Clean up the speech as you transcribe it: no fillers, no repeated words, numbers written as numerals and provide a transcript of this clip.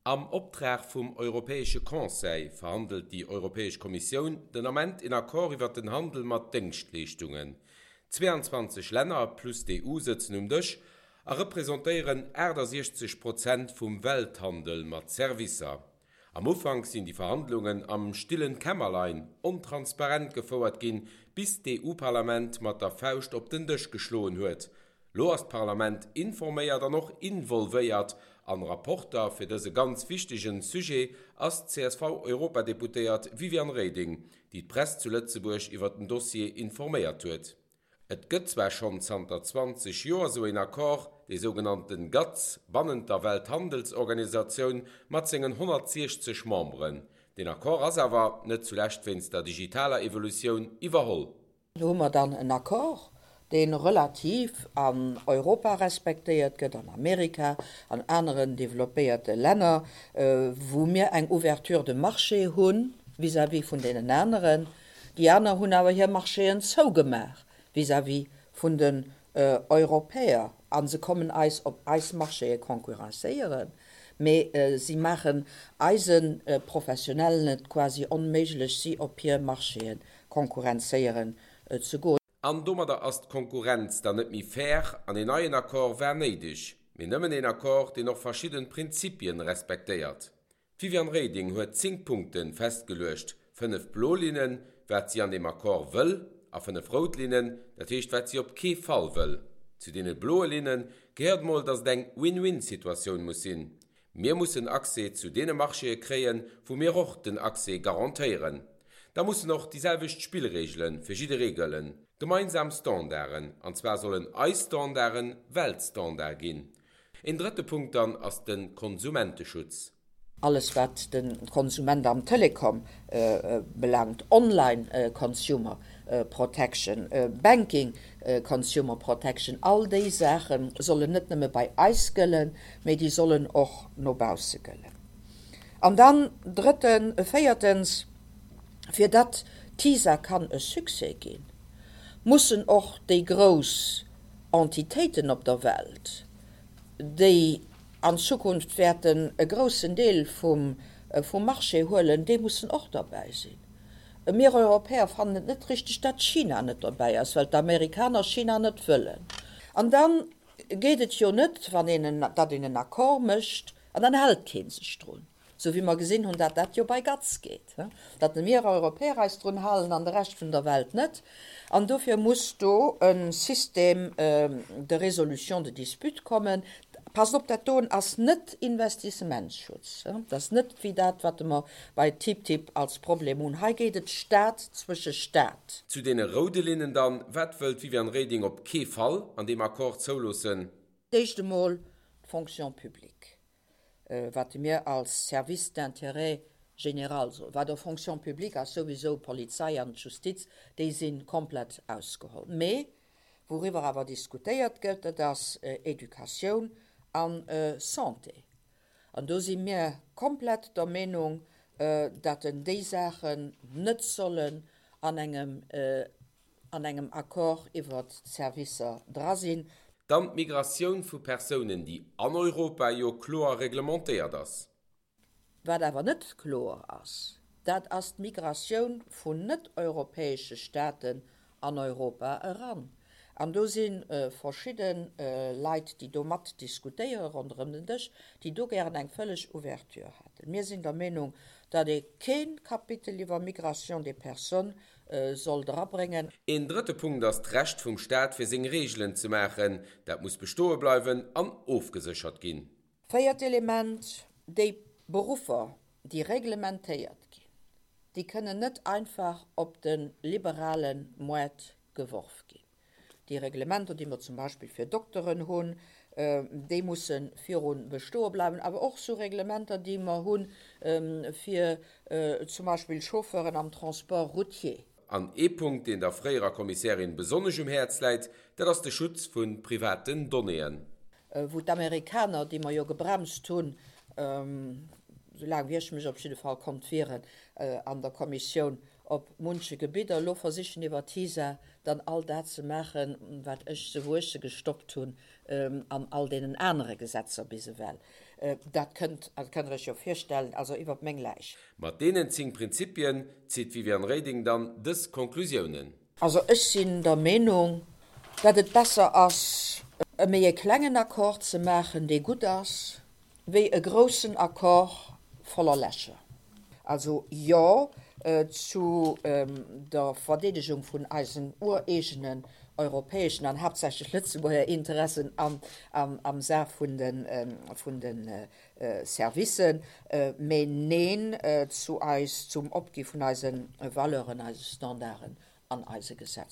Am Optrag vum Europäesche Conseil verhandelt déi Europäesch Kommissioun den Ament een Accord iwwer den Handel mat Déngschtleeschtungen. 22 Länner plus d'EU sëtzen um Dësch a representéieren 68 Prozent vum Welthandel mat Servicer. Am Ufank sinn déi Verhandlungen am stillen Kämmerlein, ontransparent gefouert ginn, bis d'EU-Parlament mat der Fauscht op den Dësch geschloen huet. Lo ass d'Parlament informéiert an och involvéiert an Rapporter fir dëse ganz wichtegen Sujet ass d'CSV-Europadeputéiert Viviane Reding, déi d'Press zu Lëtzebuerg iwwer den Dossier informéiert huet. Et gëtt zwar schonn zanter 20 Joer sou een Accord, dee sougenannten GATS, bannent der Welthandelsorganisatioun mat sengen 160 Memberen. Deen Accord ass awer, net zulescht wéinst der digitaler Evolutioun, iwwerholl. Do hu mer dann en Accord, dee relativ an Europa respektéiert gëtt, an Amerika, an aneren développéierte Länner, wou mir eng Ouverture de marché hu vis-à-vis vun deenen aneren. Déi aner hunn awer hir Marchéen zougemaach vis-à-vis vun den Europäer a se kommen eis op eis Marchéë concurrencéieren, mee si maachen eise Professionellen et quasi onméiglech, si op hir Marchéë konkurrenzéieren ze goen. An domadder ass d'Konkurrenz dann net méi fair an een neien Accord war néideg. Mee nëmmen een Accord, deen och verschidden Prinzipien respektéiert. D'Viviane Reding huet 10 Punkte festgeluecht, 5 blo Linnen, wat si an deem Accord wëll, a 5 rout Linnen, dat heescht wat si op kee Fall wëll. Zu deene bloe Linne gehéiert mol, datt et eng Win-win-Situatioun muss sinn. Mir mussen Accès zu deene Marchéë kréien, wou mir och den Accès garantéieren. Da mussen och déi selwecht Spillreegele fir jidderee gëllen, gemeinsam Standarden, an zwar sollen eis Standarde Weltstandard ginn. Een drëtte Punkt dann ass de Konsumenteschutz. Alles wat de Konsument am Telecom belaangt, Online Consumer Protection, Banking Consumer Protection, all déi Saache sollen net nëmme bei eis gëllen, mee déi sollen och no bausse gëllen. An dann drëtten, véiertens, fir datt TISA kann e Succès ginn, mussen och déi grouss Entitéiten op der Welt, déi an Zukunft wäerten e groussen Deel vum Marché huelen, déi mussen och derbäi sinn. Mir Europäer fannen et net richteg, datt China net derbäi ass, well d'Amerikaner China net wëllen. An da geet et jo net, wann een, datt een en Accord mécht an dann hält kee sech drun. Sou wéi mer gesinn hunn, dat dat jo bei GATS geet, datt mir Europäer eis drun halen an de Rescht vun der Welt net. An dofir muss do e Système de résolution de disputes kommen. Passt op, dat doen ass net Investissementsschutz, dat ass net wéi dat, wat mer bei TTIP als Problem hunn. Hei geet et Stat zwësche Stat. Zu deene roude Linnen dann, Wat wëllt d'Viviane Reding op kee Fall an deem Accord zouloossen? D'éischt emol d'Fonction publique. wat mir als Service d'intérêt général soen, wat der Fonction publique ass souwisou d'Polizei an d'Justiz, déi si komplett ausgeholl. Mee wouriwwer awer diskutéiert gëtt, dat ass Educatioun a Santé. An do si mir komplett der Meenung, datt en déi Saachen net sollen an engem an engem Accord iwwert d'Servicer dra sinn. Dann d'Migratioun vu Persounen, déi an Europa jo kloer reglementéiert ass. Wat awer net kloer ass, dat ass d'Migratioun vun net-europäesche Staaten an Europa eran. An do si verschidde Leit, déi do mat diskutéiere ronderëm den Dësch, déi do gären eng vëlleg Ouverture hätten. Mir sinn der Meenung, datt ee kee Kapitel iwwer Migration des personnes soll drabréngen. Een drëtte Punkt ass d'Recht vum Staat fir seng Reegelen ze maachen. Dat muss bestoe bleiwen an ofgeséchert ginn. Véiert Element, déi Beruffer, déi reglementéiert ginn, déi kënnen net einfach op de liberale Moart geworf ginn. Déi Reglementer, déi mer zum Beispill fir Dokteren hunn, déi musse viru bestoe bleiwen, awer och sou Reglementer, déi mer hu fir zum Beispill Chauffeuren am Transport routier. An ee Punkt, deen der fréierer Kommissärin besonnesch um Häerz läit, dat ass de Schutz vu privaten Donnéeën. Wou d'Amerikaner, déi mer jo gebremst hunn, esou laang wéi ech mech op jidde Fall konnt wieren an der Kommissioun, op munche Gebidder elo versichen iwwer TISA dann all dat ze maachen, wat ech se, wou ech se gestoppt hunn an all deenen anere Gesetzer bis ewell. Dat kënnt, dat kënnt Der Iech jo virstellen, also iwwert meng Läich. Mat deenen 10 Prinzipien zitt d'Viviane Reding dann dës Konklusiounen. Also ech sinn der Meenung, datt et besser ass, e méi e klengen Accord ze maachen, dee gutt ass, wéi e groussen Accord voller Lächer. Also Jo zu der Verdeedegung vun eisen ureegenen europäeschen an haaptsächlech Lëtzebuerger Interessen am Saach vun de Servicen, mee Neen zu eis, zum Opgi vun eise Valeuren, eise Standarden an eise Gesetzer.